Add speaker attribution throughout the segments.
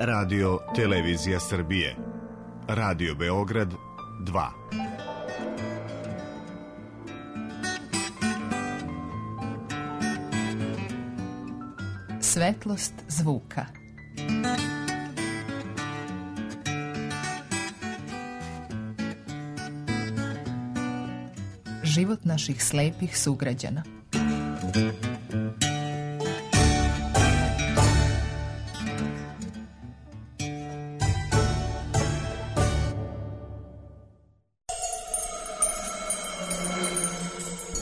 Speaker 1: Radio Televizija Srbije. Radio Beograd 2.
Speaker 2: Svetlost zvuka. Život naših slepih sugrađana.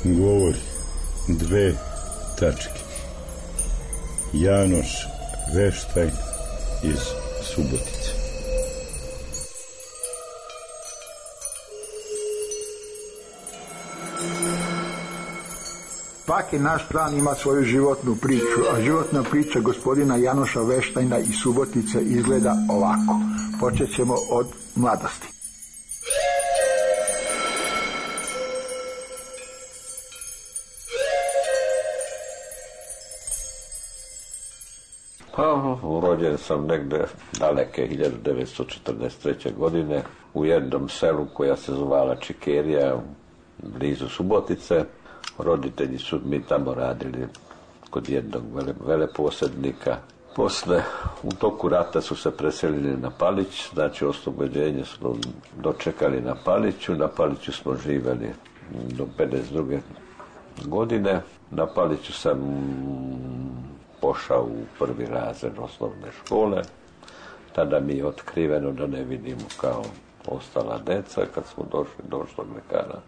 Speaker 3: Govori dve tačke. Janoš Veštajn iz Subotice.
Speaker 4: Svaki naš plan ima svoju životnu priču, a životna priča gospodina Janoša Veštajna iz Subotice izgleda ovako. Počet ćemo od mladosti.
Speaker 5: Rođen sam negde daleke 1943. godine u jednom selu koja se zvala Čikerija, blizu Subotice. Roditelji su mi tamo radili kod jednog veleposjednika. Posle, u toku rata su se preselili na Palić, znači oslobođenje smo dočekali na Paliću. Na Paliću smo živjeli do 52. godine. Na Paliću sam pošao u prvi razred osnovne škole. Tada mi je otkriveno da ne vidimo kao ostala deca. Kad smo došli do ošlog lekara,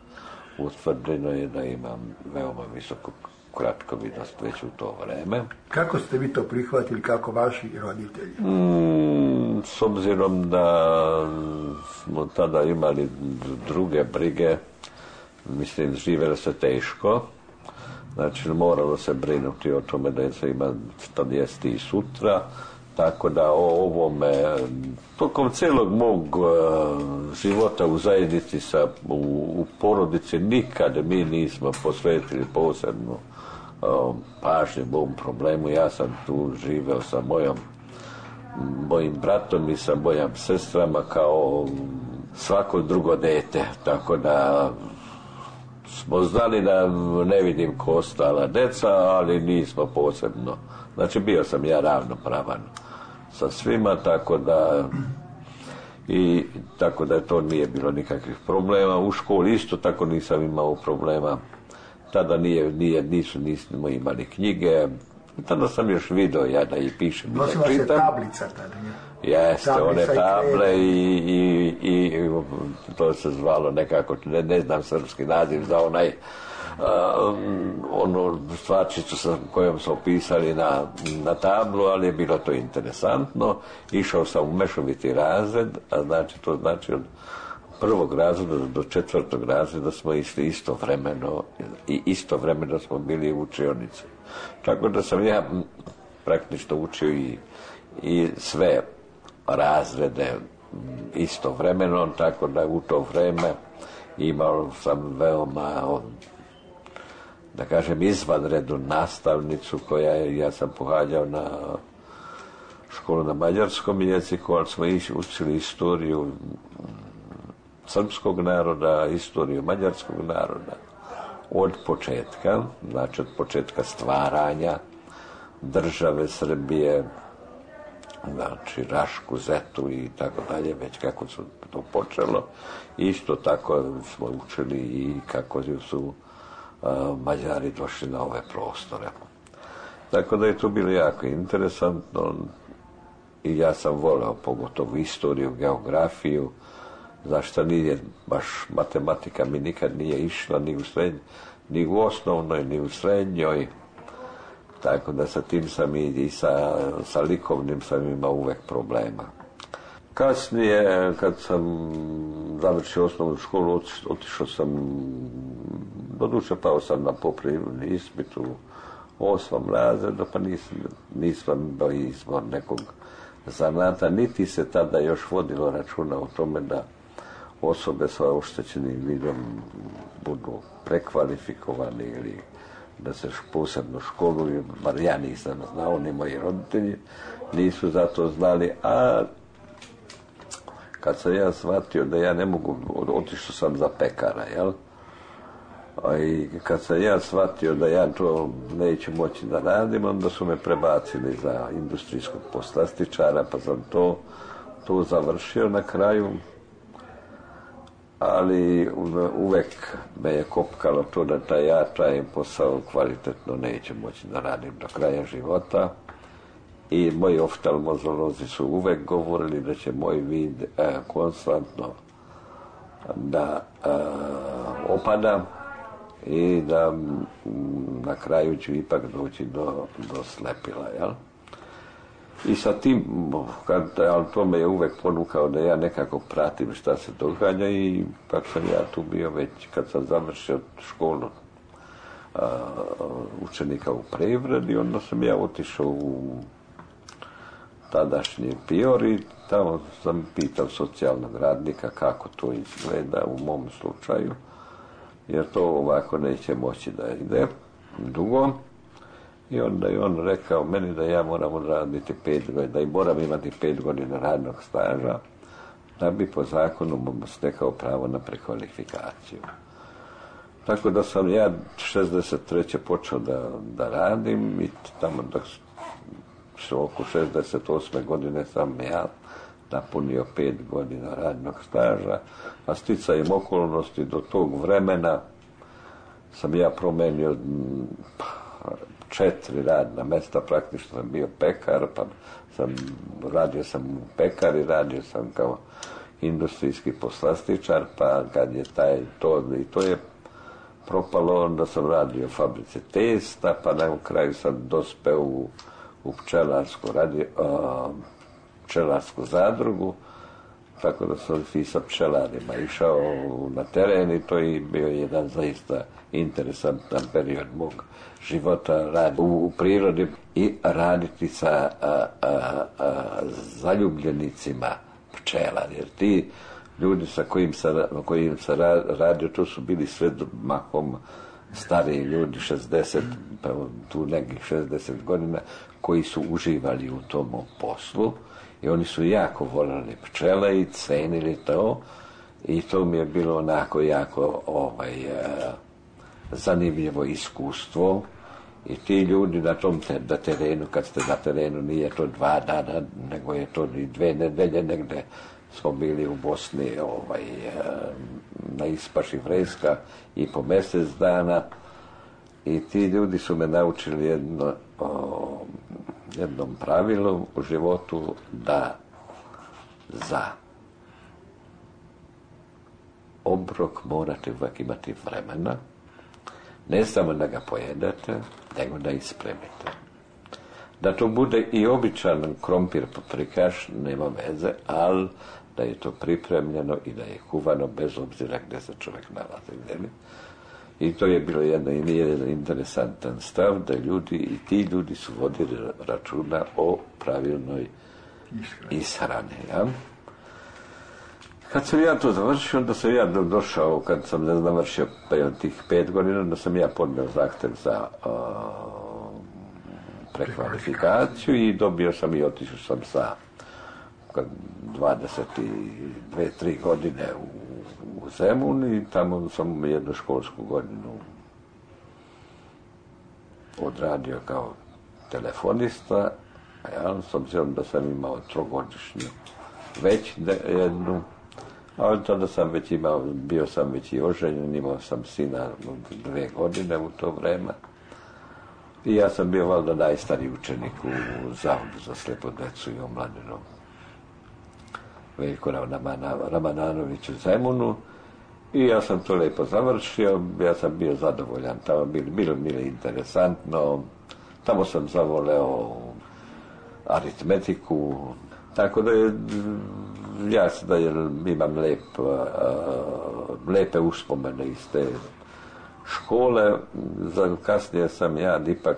Speaker 5: utvrđeno je da imam veoma visoko kratkovidnost već u to vreme.
Speaker 4: Kako ste vi to prihvatili, kako vaši roditelji?
Speaker 5: S obzirom da smo tada imali druge brige, mislim, živjelo se teško. Znači, moralo se brinuti o tome da se ima što jesti i sutra, tako da o ovome, tokom cijelog mog života u zajednici, u porodici, nikad mi nismo posvetili posebno pažnje ovom problemu. Ja sam tu živeo sa mojim bratom i sa mojim sestrama kao svako drugo dete, tako da smo znali da ne vidim ko ostala deca, ali nismo posebno. Znači, bio sam ja ravnopravan sa svima, tako da to nije bilo nikakvih problema. U školi isto tako nisam imao problema. Tada nismo imali knjige. Tada sam još video ja da i pišem.
Speaker 4: Nosila se tablica tada, ja?
Speaker 5: Jeste, one table i to se zvalo nekako, ne znam srpski naziv za onu stvarčicu sa kojom smo pisali na tablu, ali je bilo to interesantno. Išao sam u mešoviti razred, a znači to znači od prvog razreda do četvrtog razreda smo išli istovremeno smo bili u učionici. Tako da sam ja praktično učio i sve razrede istovremeno, tako da u to vreme imao sam veoma, da kažem, izvanrednu nastavnicu ja sam pohađao na školu na mađarskom jeziku, ali smo učili istoriju srpskog naroda, istoriju mađarskog naroda od početka, znači od početka stvaranja države Srbije, znači Rašku, Zetu i tako dalje, već kako su to počelo. Isto tako smo učili i kako su Mađari došli na ove prostore. Tako da je to bilo jako interesantno i ja sam voleo pogotovo istoriju, geografiju, zašto nije baš matematika mi nikad nije išla ni u osnovnoj, ni u srednjoj. Tako da sa tim sam i sa likovnim sam imao uvek problema. Kasnije, kad sam završio osnovnu školu, otišao sam, doduše pao sam na popravni ispit u 8. razredu, pa nisam imao izbor nekog zanata, niti se tada još vodilo računa o tome da osobe sa oštećenim vidom budu prekvalifikovani ili da se posebno školuju, bar ja nisam znao, ni moji roditelji nisu za to znali, a kad sam ja shvatio da ja ne mogu, otišao sam za pekara, jel? I kad sam ja shvatio da ja to neću moći da radim, onda su me prebacili za industrijskog poslastičara, pa sam to završio na kraju. Ali uvek me je kopkalo to da ja taj posao kvalitetno neću moći da radim do kraja života. I moji oftalmolozi su uvek govorili da će moj vid konstantno da opada i da na kraju ću ipak doći do slepila, jel? I sa tim, ali to me je uvek ponukao da ja nekako pratim šta se događa i kako sam ja tu bio već kad sam završio školu učenika u Prevredi, onda sam ja otišao u tadašnji Pior i tamo sam pitao socijalnog radnika kako to izgleda u mom slučaju, jer to ovako neće moći da ide dugo. I onda je on rekao meni da ja moram raditi 5 godina, da i moram imati 5 godina radnog staža, da bi po zakonu stekao pravo na prekvalifikaciju. Tako da sam ja 63. počeo da radim i tamo oko 68. godine sam ja napunio 5 godina radnog staža, a sticajem okolnosti do tog vremena sam ja promenio 4 radna mesta, praktično sam bio pekar, pa radio sam u pekari, radio sam kao industrijski poslastičar, pa kad je to je propalo, onda sam radio u fabrici testa, pa na kraju sam dospeo u pčelarsku zadrugu, tako da sam i sa pčelarima išao na teren i to je bio jedan zaista interesantan period mog života, raditi u prirodi i raditi sa zaljubljenicima pčela, jer ti ljudi sa kojim sam radio, to su bili sve mahom stariji ljudi, 60, pa tu nekih 60 godina, koji su uživali u tom poslu i oni su jako voljeli pčele i cenili to i to mi je bilo onako jako zanimljivo iskustvo. I ti ljudi na tom terenu, kad ste na terenu, nije to 2 dana, nego je to i 2 nedelje, negde smo bili u Bosni na ispaši Vreska i po mjesec dana i ti ljudi su me naučili jednom pravilu u životu, da za obrok morate uvijek imati vremena, ne samo da ga pojedete, nego da ispremite. Da to bude i običan krompir paprikaš, nema veze, ali da je to pripremljeno i da je kuvano bez obzira gdje se čovjek nalazi. I to je bilo jedan interesantan stav, da i ti ljudi su vodili računa o pravilnoj ishrani. Ja? Kad sam ja to završio, onda sam ja došao, kad sam završio tih 5 godina, onda sam ja podneo zahtev za prekvalifikaciju i dobio sam i otišao sam sa 22-3 godine u Zemun i tamo sam jednu školsku godinu odradio kao telefonista, ja, s obzirom da sam imao 3-godišnju već jednu, ali tada sam već bio sam već i oženjen, imao sam sina 2 godine u to vreme. I ja sam bio valjda najstariji učenik u Zavodu za slijepu djecu i omladinu Veljko Ramananović u Zemunu. I ja sam to lijepo završio, ja sam bio zadovoljan, tamo bilo interesantno, tamo sam zavoleo aritmetiku, tako da je jasno da imam lijepe uspomene iz te škole. Kasnije sam ja ipak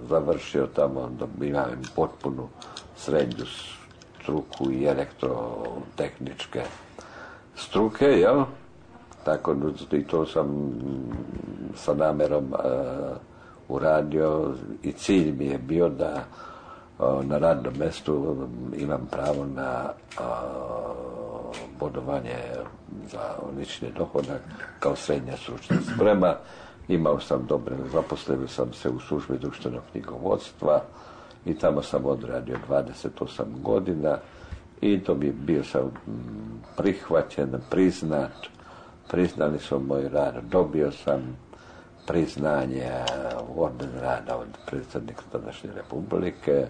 Speaker 5: završio tamo, da imam potpunu srednju struku i elektrotehničke struke, jel? Tako i to sam sa namjerom uradio i cilj mi je bio da na radnom mjestu imam pravo na bodovanje za lični dohodak kao srednja stručna sprema. Imao sam dobre, zaposlio sam se u službi društvenog knjigovodstva i tamo sam odradio 28 godina i to bi bio sam prihvaćen, priznat, priznali su moj rad, dobio sam priznanje orden rada od predsjednika tadašnje Republike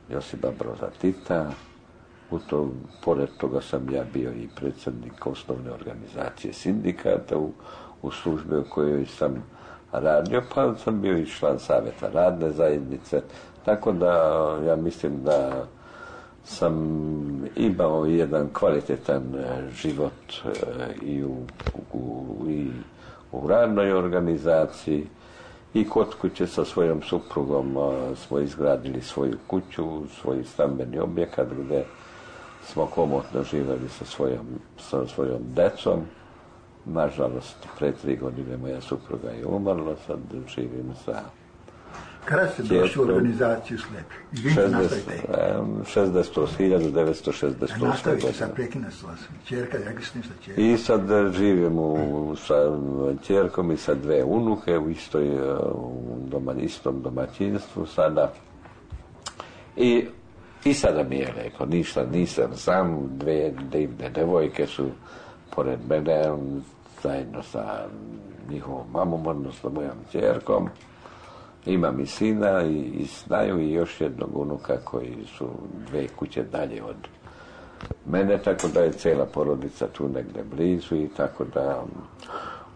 Speaker 5: Josipa Broza Tita. Pored toga sam ja bio i predsjednik osnovne organizacije sindikata u službi u kojoj sam radio, pa sam bio i član savjeta radne zajednice, tako da ja mislim da sam imao jedan kvalitetan život i u radnoj organizaciji i kod kuće sa svojom suprugom smo izgradili svoju kuću, svoj stambeni objekat gdje smo komotno živjeli sa svojom decom. Nažalost, pre 3 godine moja supruga je umrla, sad živim sa
Speaker 4: Kada ste došli u organizaciju slepih? Izvinite, nastavite.
Speaker 5: 1968.
Speaker 4: Nastavite, sad prekina se vas. Čerka, rekli ste nešto čerka.
Speaker 5: I sad živim sa čerkom i sa 2 unuke u istom domaćinstvu sada. I sada mi je lijepo, ništa nisam sam, 2 divne devojke su pored mene, zajedno sa njihovom mamom, odnosno mojom čerkom. Imam i sina i snaju i još jednog unuka koji su 2 kuće dalje od mene, tako da je cijela porodica tu negdje blizu i tako da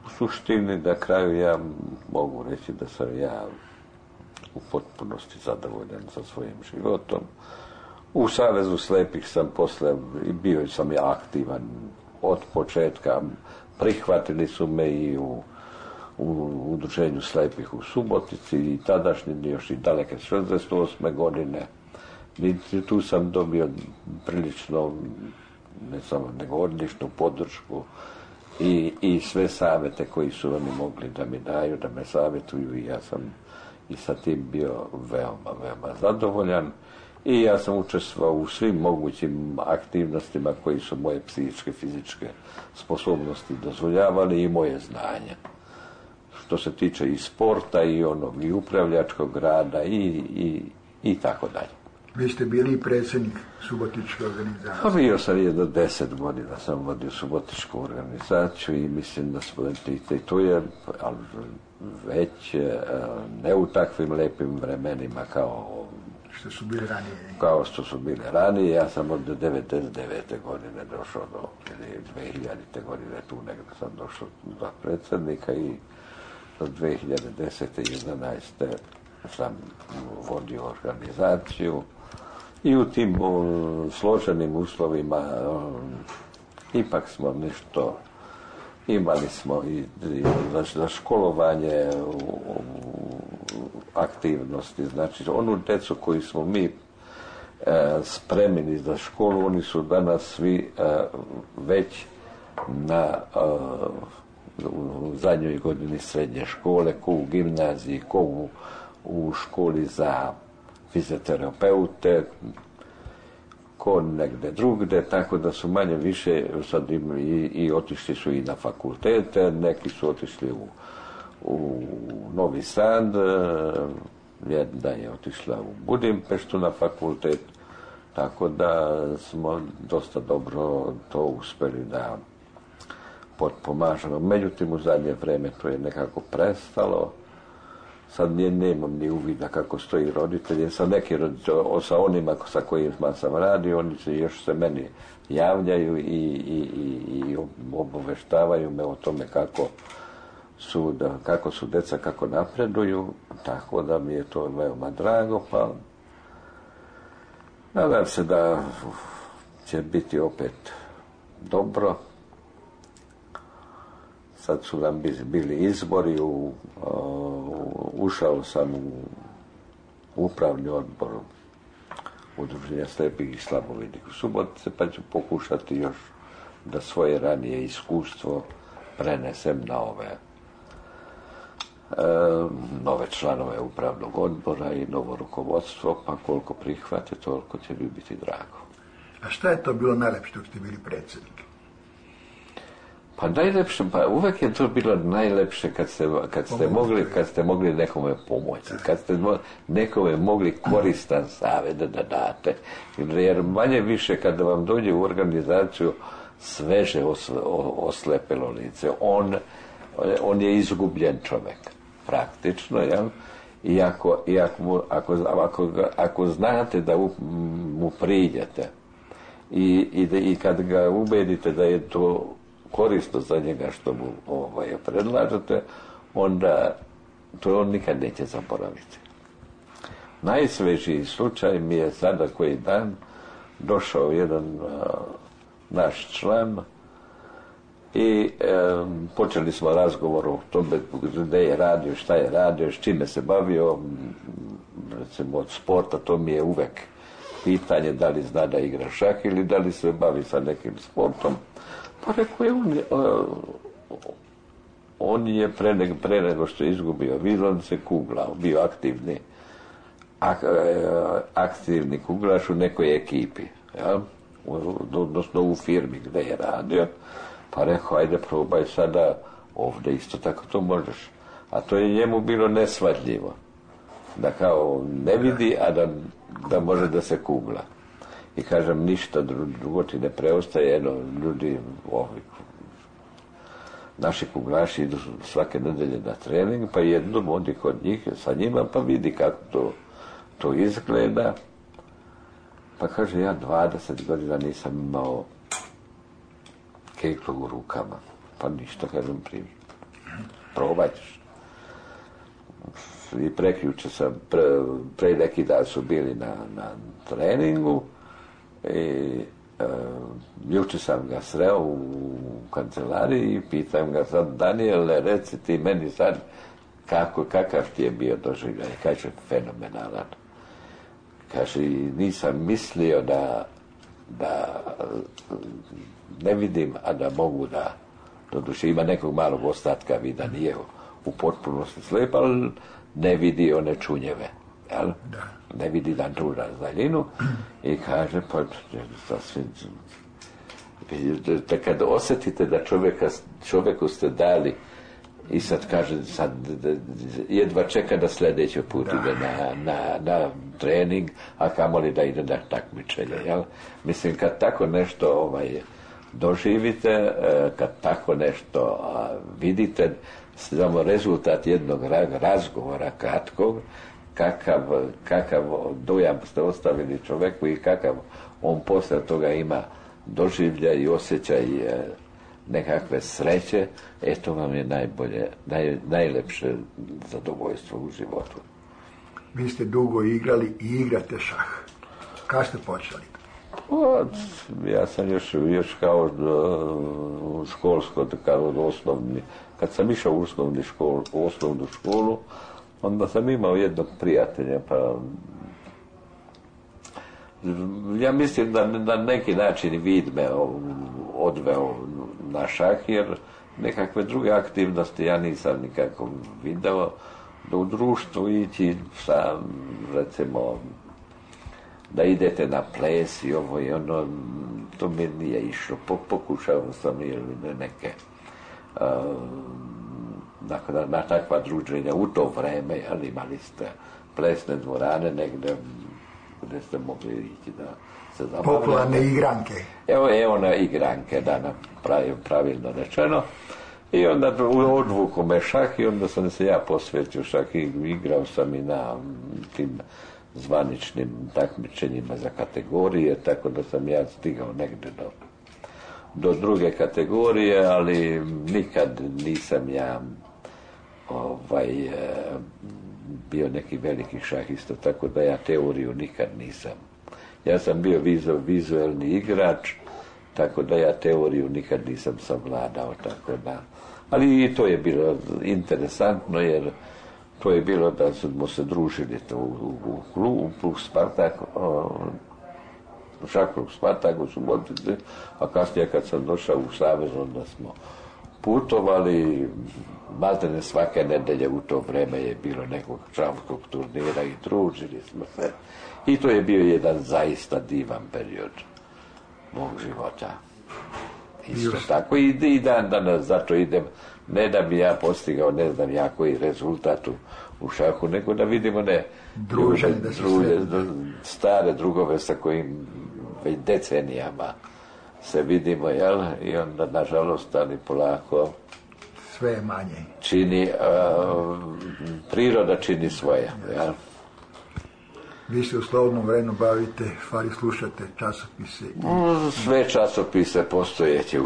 Speaker 5: u suštini na kraju ja mogu reći da sam ja u potpunosti zadovoljan sa svojim životom. U Savezu slepih sam i bio sam ja aktivan od početka, prihvatili su me i u udruženju slepih u Subotici i tadašnji još i daleke 68. godine. I tu sam dobio prilično, ne samo nego odličnu podršku i sve savjete koji su oni mogli da mi daju, da me savjetuju i ja sam i sa tim bio veoma, veoma zadovoljan. I ja sam učestvovao u svim mogućim aktivnostima koji su moje psihičke, fizičke sposobnosti dozvoljavali i moje znanje. Što se tiče i sporta i upravljačkog rada i tako dalje.
Speaker 4: Vi ste bili i predsjednik Subotičke organizacije.
Speaker 5: Pa bio sam 10 godina sam vodio Subotičku organizaciju i mislim da smo i to je, ali već ne u takvim lepim vremenima kao
Speaker 4: što su bili ranije.
Speaker 5: Kao što su bili ranije. Ja sam od 99. godine došao do 2000. godine tu negdje sam došao za predsjednika i do 2010. i 2011. sam vodio organizaciju i u tim složenim uslovima ipak smo nešto imali smo i za školovanje aktivnosti, znači onu djecu koju smo mi spremili za školu, oni su danas svi već u zadnjoj godini srednje škole, ko u gimnaziji, ko u školi za fizioterapeute, ko negdje drugdje, tako da su manje više sad i otišli su i na fakultete, neki su otišli u Novi Sad, jedna je otišla u Budimpeštu na fakultet, tako da smo dosta dobro to uspjeli da potpomažemo. Međutim, u zadnje vrijeme to je nekako prestalo. Sad nemam ni uvida kako stoji roditelji. Sa onima sa kojima sam radio, oni još se meni javljaju i obaveštavaju me o tome kako su deca, kako napreduju, tako da mi je to veoma drago, pa nadam se da će biti opet dobro. Sad su nam bili izbori, ušao sam u upravni odbor Udruženja slepih i slabovidnih u Subotice, pa ću pokušati još da svoje ranije iskustvo prenesem na ove nove članove upravnog odbora i novo rukovodstvo, pa koliko prihvate, toliko će mi biti drago.
Speaker 4: A šta je to bilo najlepše dok ste bili predsjednik?
Speaker 5: Pa najlepše, pa uvek je to bilo najlepše kad ste mogli nekome pomoći, kad ste nekome mogli koristan savjet da date, jer manje više kada vam dođe u organizaciju sveže oslepelo lice, on je izgubljen čovjek, praktično, jel? I ako znate da mu priđete i kad ga ubedite da je to korisno za njega što mu predlažete, onda to on nikad neće zaboraviti. Najsvežiji slučaj mi je sada koji dan došao jedan naš član i počeli smo razgovor o tome gdje je radio, šta je radio, s čime se bavio, recimo od sporta, to mi je uvek pitanje da li zna da igra šah ili da li se bavi sa nekim sportom. Pa rekao je, on je pre nego što je izgubio vid, on se kuglao, bio aktivni kuglaš u nekoj ekipi, ja? Odnosno u firmi gdje je radio. Pa rekao, ajde probaj sada ovdje, isto tako to možeš. A to je njemu bilo nesvatljivo. Da kao ne vidi, a da može da se kugla. I kažem, ništa drugo ti ne preostaje, ljudi, naši kuglaši idu svake nedelje na trening, pa jednom odi kod njih sa njima, pa vidi kako to izgleda. Pa kaže, ja 20 godina nisam imao keklu u rukama. Pa ništa, kažem, primi. Probaj ćeš. I prekjuče sam, pre neki dan su bili na treningu i juče sam ga sreo u kancelariji i pitam ga sad, Daniele, reci ti meni sad kakav ti je bio doživljaj. Kaže, fenomenalan. Kaže, nisam mislio da ne vidim, a da mogu da, doduše ima nekog malog ostatka vida, nije u potpunosti slep, ali ne vidi one čunjeve, jel? Ne vidi dan tu daljinu i kaže, pa sasvim, kad osjetite da čovjeku ste dali i sad kaže, sad jedva čeka da sljedeći put ide na trening, a kamoli da ide na takmičenje, jel? Mislim, kad tako nešto doživite, kad tako nešto vidite, samo rezultat jednog razgovora kratkog, kakav dojam ste ostavili čovjeku i kakav on poslije toga ima doživljaj i osjećaj nekakve sreće, to vam je najlepše zadovoljstvo u životu.
Speaker 4: Vi ste dugo igrali i igrate šah. Kad ste počeli?
Speaker 5: Ja sam još kao školsko, kao osnovni, kad sam išao u osnovnu školu, onda sam imao jednog prijatelja, pa ja mislim da na neki način vid me odveo na šah, jer nekakve druge aktivnosti ja nisam nikako video, da u društvu ići sa, recimo, da idete na ples i ovo i ono, to mi nije išlo. Pokušao sam ili neke na takva druženja u to vreme, ali imali ste plesne dvorane negdje gdje ste mogli ići da se zabavljate.
Speaker 4: Popularne igranke.
Speaker 5: Evo na igranke, da, pravilno rečeno. I onda odvuku me šah i onda sam se ja posvetio šah i igrao sam i na tim zvaničnim takmičenjima za kategorije, tako da sam ja stigao negdje do druge kategorije, ali nikad nisam ja bio neki veliki šahista, tako da ja teoriju nikad nisam. Ja sam bio vizuelni igrač, tako da ja teoriju nikad nisam savladao, tako da. Ali i to je bilo interesantno, jer to je bilo da smo se družili u klubu plus Spartak, šah klub Spartak u Subotici, a kasnije kad sam došao u Savez, onda smo putovali, maltene svake nedelje u to vreme je bilo nekog šahskog turnira i družili smo se. I to je bio jedan zaista divan period mog života. Isto tako i dan danas, zato idem, ne da bi ja postigao ne znam ja koji rezultat u šahu, nego da vidimo stare drugove sa kojim već decenijama se vidimo, jel? I onda, nažalost, ali polako
Speaker 4: sve je manje.
Speaker 5: Čini, priroda čini svoje, jel?
Speaker 4: Vi se u slobodnom vremenu bavite, stvari slušate časopise?
Speaker 5: Sve časopise postojeće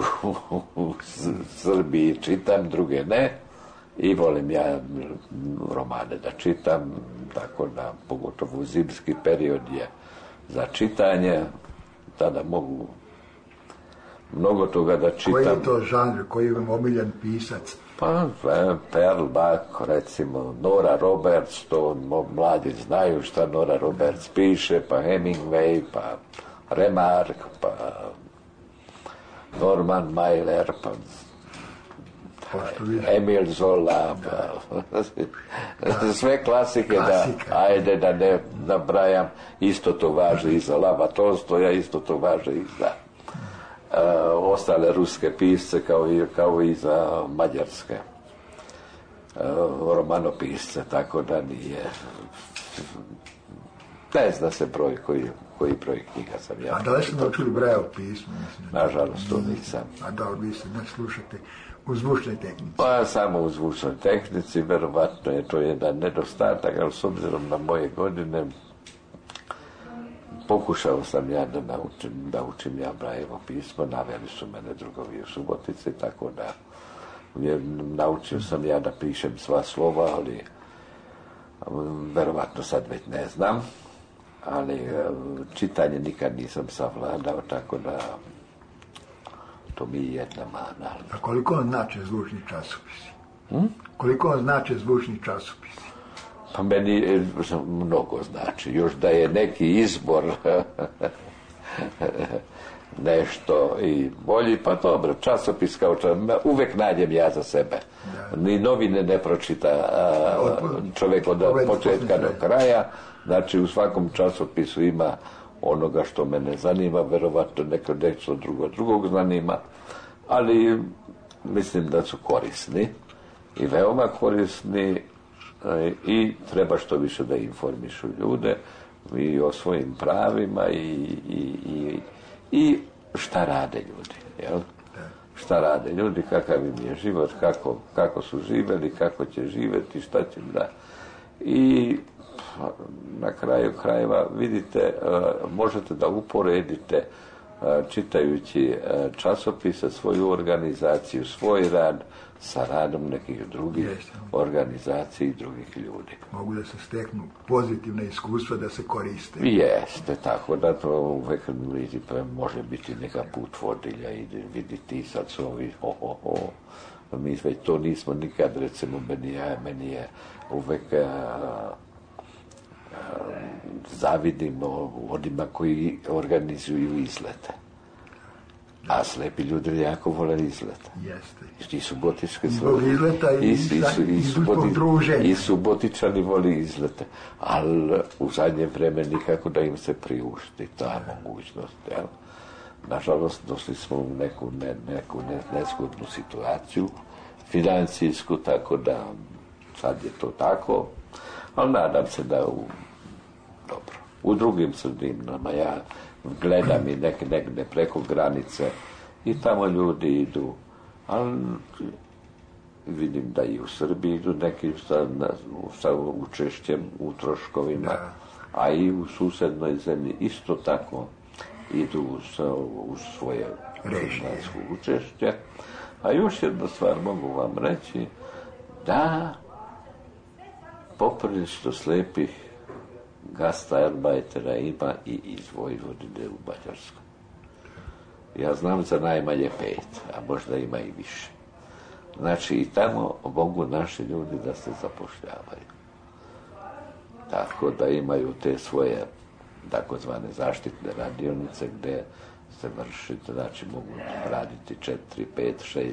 Speaker 5: u Srbiji čitam, druge ne. I volim ja romane da čitam, tako da pogotovo u zimski period je za čitanje. Tada mogu mnogo toga da čitam.
Speaker 4: Koji je to žanr, koji je vam omiljen pisac?
Speaker 5: Pa, Pearl Buck, recimo, Nora Roberts, to mladi znaju šta Nora Roberts piše, pa Hemingway, pa Remarque, pa Norman Mailer, pa Emil Zola, pa sve klasike, ajde da ne nabrajam, isto to važi i za Lava Tolstoja, isto to važi i za ostale ruske pisce kao i za mađarske romanopisce, tako da nije, ne zna se broj koji broj knjiga sam ja.
Speaker 4: A da li ste naučili Braille pismo?
Speaker 5: Nažalost, to nisam.
Speaker 4: A da li vi se ne slušate u zvučnoj tehnici?
Speaker 5: Pa samo u zvučnoj tehnici, verovatno je to jedan nedostatak, ali s obzirom na moje godine pokušao sam ja da učim ja Braillevo pismo, naveli su mene drugovi u Subotici, tako da naučio sam ja da pišem sva slova, ali verovatno sad već ne znam, ali čitanje nikad nisam savladao, tako da to mi je jedna mana.
Speaker 4: A koliko vam znače zvučni časopisi? Koliko vam znače zvučni časopisi?
Speaker 5: Pa meni mnogo znači. Još da je neki izbor nešto i bolji, pa dobro, časopis kao uvek nađem ja za sebe. Ni novine ne pročita čovjek od početka do kraja. Znači u svakom časopisu ima onoga što mene zanima, verovatno nešto drugog zanima, ali mislim da su korisni i veoma korisni i treba što više da informišu ljude i o svojim pravima i šta rade ljudi, jel? Šta rade ljudi, kakav im je život, kako su živeli, kako će živjeti, šta će da. I na kraju krajeva vidite, možete da uporedite čitajući časopise, svoju organizaciju, svoj rad sa radom nekih drugih organizacija i drugih ljudi.
Speaker 4: Mogu da se steknu pozitivne iskustva da se koriste.
Speaker 5: Jeste, tako da to uvek može biti neka put vodilja i vidite sad su ovi mi već to nismo nikad, recimo meni je uvek zavidimo onima koji organizuju izlete. A slepi ljudi jako vole izlete.
Speaker 4: Jeste.
Speaker 5: I subotičke
Speaker 4: zbog izleta
Speaker 5: i subotičani voli izlete. Ali u zadnje vreme nikako da im se priušti ta mogućnost. Jel? Nažalost, došli smo u neku nezgodnu situaciju financijsku, tako da sad je to tako. Ali nadam se da u drugim sredinama ja gledam i negde preko granice i tamo ljudi idu, ali vidim da i u Srbiji idu neki sa učešćem u troškovima, a i u susednoj zemlji isto tako idu u svoje režijsko učešće. A još jednu stvar mogu vam reći, da poprilično slepih gastarbeitera ima i iz Vojvodine u Mađarskoj. Ja znam za najmanje 5, a možda ima i više. Znači i tamo mogu naši ljudi da se zapošljavaju. Tako da imaju te svoje takozvane zaštitne radionice gde se vrši, znači mogu raditi 4, 5, 6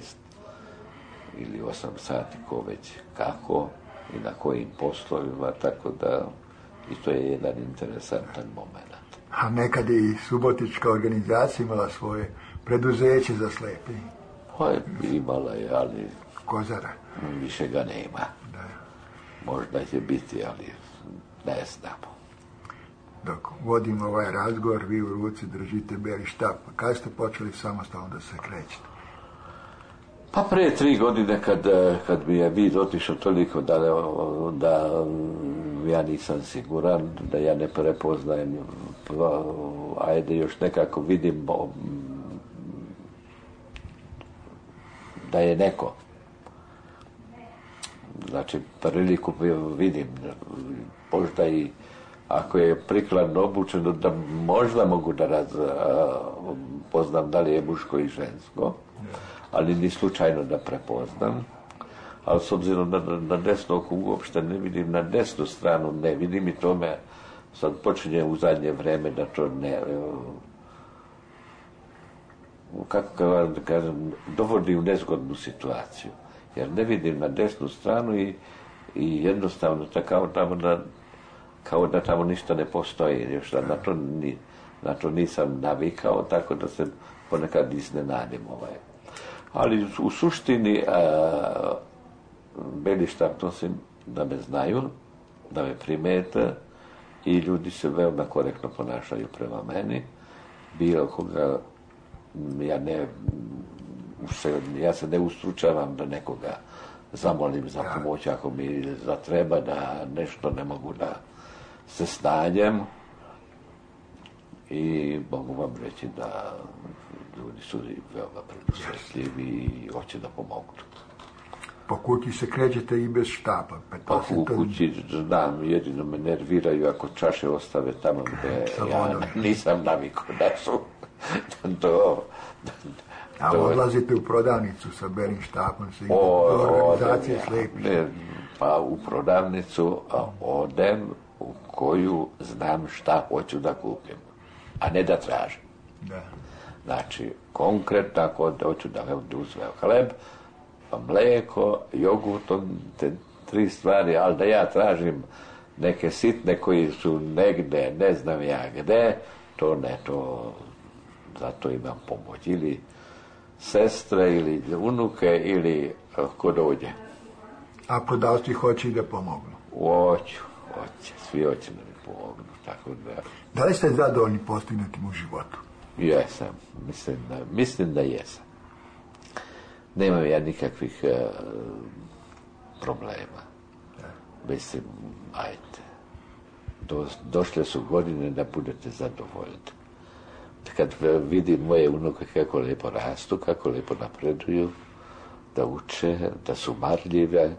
Speaker 5: ili 8 sati, ko već kako i na kojim poslovima, tako da i to je jedan interesantan moment.
Speaker 4: A nekad je i Subotička organizacija imala svoje preduzeće za slepe.
Speaker 5: Pa imala je, ali
Speaker 4: Kozara.
Speaker 5: više ga nema.
Speaker 4: Da.
Speaker 5: Možda će biti, ali ne znamo.
Speaker 4: Dok vodimo ovaj razgovor, vi u ruci držite beli štap. Kada ste počeli samostalno da se krećete?
Speaker 5: Pa prije 3 godine kad mi je vid otišao toliko da ja nisam siguran, da ja ne prepoznajem, ajde još nekako vidim da je neko. Znači, priliku vidim, možda i ako je prikladno obučeno, da možda mogu da poznam da li je muško i žensko, ali ni slučajno da prepoznam. Ali s obzirom na desno oko uopšte ne vidim, na desnu stranu ne vidim i to me sad počinje u zadnje vreme da to ne... kako da kažem, dovodi u nezgodnu situaciju. Jer ne vidim na desnu stranu i jednostavno kao da tamo ništa ne postoji. Još na to nisam navikao, tako da se ponekad iznenadim. Ali u suštini beli štap nosim da me znaju, da me primete i ljudi se veoma korektno ponašaju prema meni. Bilo koga ja se ne ustručavam da nekoga zamolim za pomoć ako mi zatreba da nešto ne mogu da se snađem i mogu vam reći da ljudi su veoma predosjetljivi i hoće da pomognu.
Speaker 4: Po kući se krećete i bez štapa?
Speaker 5: Pa u kući znam, jedino me nerviraju ako čaše ostave tamo gde ja nisam navikao da su
Speaker 4: A odlazite u prodavnicu sa belim štapom, se ide do organizacije slepih?
Speaker 5: Pa u prodavnicu odem u koju znam šta hoću da kupim, a ne da tražim.
Speaker 4: Da.
Speaker 5: Znači, konkretno ako hoću da uzmem hleb, mlijeko, jogurt, te 3 stvari, ali da ja tražim neke sitne koji su negde, ne znam ja gde, to ne, to zato imam pomoć. Ili sestre, ili unuke, ili ko dođe.
Speaker 4: A prodavci hoće i da pomognu?
Speaker 5: Hoće, svi hoće da mi pomognu, tako da...
Speaker 4: Da li ste zadovoljni postignutim u životu?
Speaker 5: Jesam, mislim da jesam. Nemam ja nikakvih problema. Mislim, ajde, došle su godine da budete zadovoljni. Kad vidim moje unuke kako lijepo rastu, kako lijepo napreduju, da uče, da su marljive,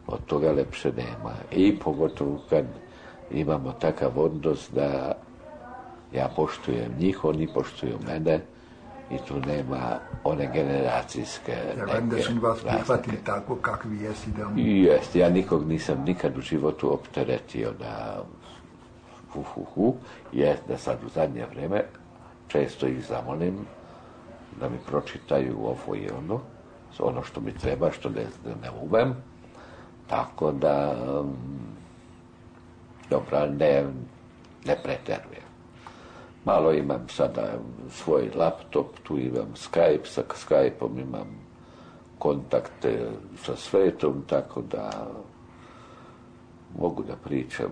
Speaker 5: od toga lepše nema. I pogotovo kad imamo takav odnos da ja poštujem njih, oni poštuju mene i tu nema one generacijske neke
Speaker 4: da su vas prihvatili tako kakvi jesi?
Speaker 5: Jest, ja nikog nisam nikad u životu opteretio da jest da sad u zadnje vreme često ih zamolim da mi pročitaju ovo i ono što mi treba, što ne umem, tako da dobro, ne preterujem. Malo imam sada svoj laptop, tu imam Skype, sa Skype-om imam kontakte sa svetom, tako da mogu da pričam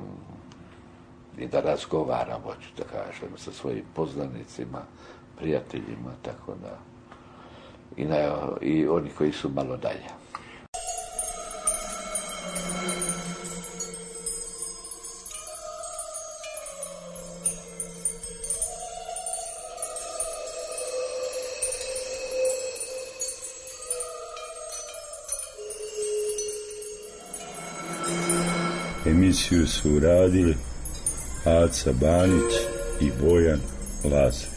Speaker 5: i da razgovaram, hoću da kažem, sa svojim poznanicima, prijateljima, tako da i oni koji su malo dalje.
Speaker 3: Emisiju su uradili Aca Banić i Bojan Laza.